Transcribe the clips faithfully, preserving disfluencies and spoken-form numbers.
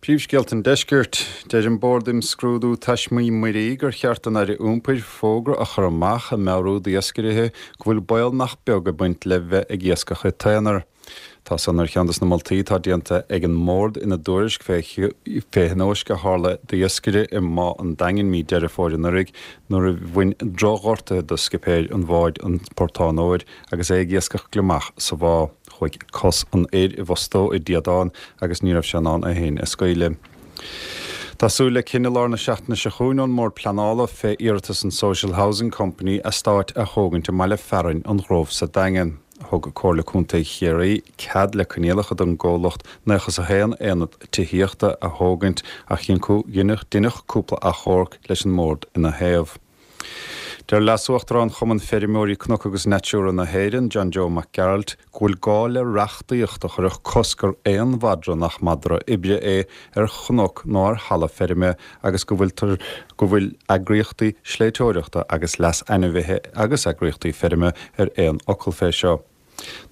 Príomhscéalta an Deiscirt. Deir an Bord Imscrúdú Taismí Muirí gur cheart don Aire Iompair fógra a chur amach ag meabhrú d'iascairithe go bhfuil baol nach beag ag baint le bheith ag iascach i t-aonar. Tá san ar cheann de na moltaí atá déanta ag an mbord ina dtuairisc fé thionóisc a tharla d'iascaire i mBá an Daingin mí Deireadh Fómhair anuraidh nuair a bhain drochghortuithe do scipéir an bháid an Portán Óir agus é ag iascach gliomach sa bhá. Chuaigh cos an fhir i bhfostó i dtíodán agus ní raibh sé in ann é féin a scaoileadh. Tá súil le cinneadh lár na seachtaine seo chugainn ón mBord Pleanála fé iarratas an Social Housing Company eastáit a thógaint i mbaile fearainn an Ghrove sa Daingean. Thug Comhairle Contae Chiarraí cead le coinníollacha don gcomhlacht nócha is a haon aonad tithíochta a thógaint ach deineadh cúpla achomharc leis an mbord ina thaobh. Deir Leas-Uachtarán Chumann Feirmeoirí Cnoc agus Natura na hÉireann, John Joe Mac Gearailt, go bhfuil gá le reachtaíocht a chuirfeadh cosc ar aon mhadra nach madra oibre é ar chnoc nó ar thalamh feirme agus go bhfuil go bhfuil eagraíochtaí sléibhteoireachta agus leas ainmhithe agus eagraíochtaí feirme ar aon fhocal fé seo.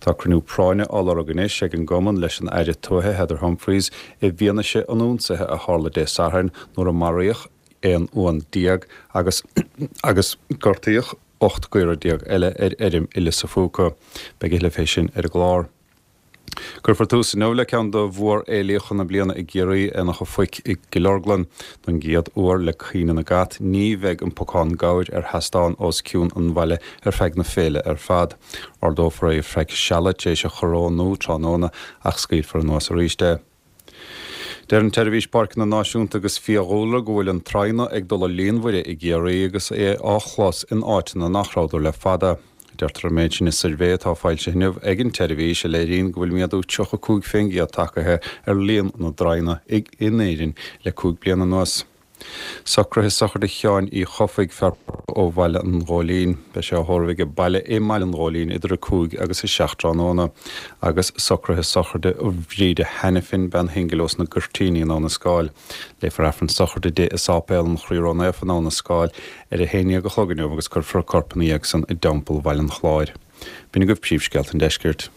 Tá cruinniú práinne á lorg anois ag an gcumann leis an Aire Tuaithe Heather Humphreys i bhfianaise an ionsaithe a tharla Dé Sathairn nuair a maraíodh aon uan déag agus agus gortaíodh ocht gcaora déag eile ar fheirm i Lios a' Phúca. Beidh a thuilleadh fé sin ar an gclár. Cuirfear tús inniu le ceann de mhórfhéilí na bliana i gCiarraí, Aonach an Phoic i gCill Orglan. Don gcéad uair le caoineadh na gcat, ní bheidh an pocán gabhair ar sheastán os cionn an bhaile ar feadh na féile ar fad. Ardófar é ar feadh seala tar éis a chorónú tráthnóna ach scaoilfear anuas arís é. Deir an tSeirbhís Páirceanna Náisiúnta agus Fiadhúlra go bhfuil an traidhne ag dul i líonmhaire i gCiarraí agus é á chlos in áiteanna nach rabhadar le fada. Deirtear an méid sin i suirbhé atá foilsithe inniu ag an tseirbhís a léiríonn go bhfuil méadú tríocha cúig faoin gcéad tagtha ar líon na dtraidhne in Éirinn le cúig bliana anuas. Socruithe sochraide Sheáin Uí Chofaigh, fear ó Bhaile an Ghóilín. Beidh sé á thórramh aige baile i mBaile an Ghóilín idir a cúig agus a seacht tráthnóna. Agus socruithe sochraide Bhríde Hanafin, bean shingil ós na Goirtíní in Abha na Scáil. Léifear Aifreann sochraide di i Sáipéal an Chroí Ró-Naofa in Abha na Scáil ar a haon déag a chlog inniu agus cuirfear a corp ina dhiaidh san i dTeampall Bhaile an Chláir. B'in agaibh príomhscéalta an Deiscirt.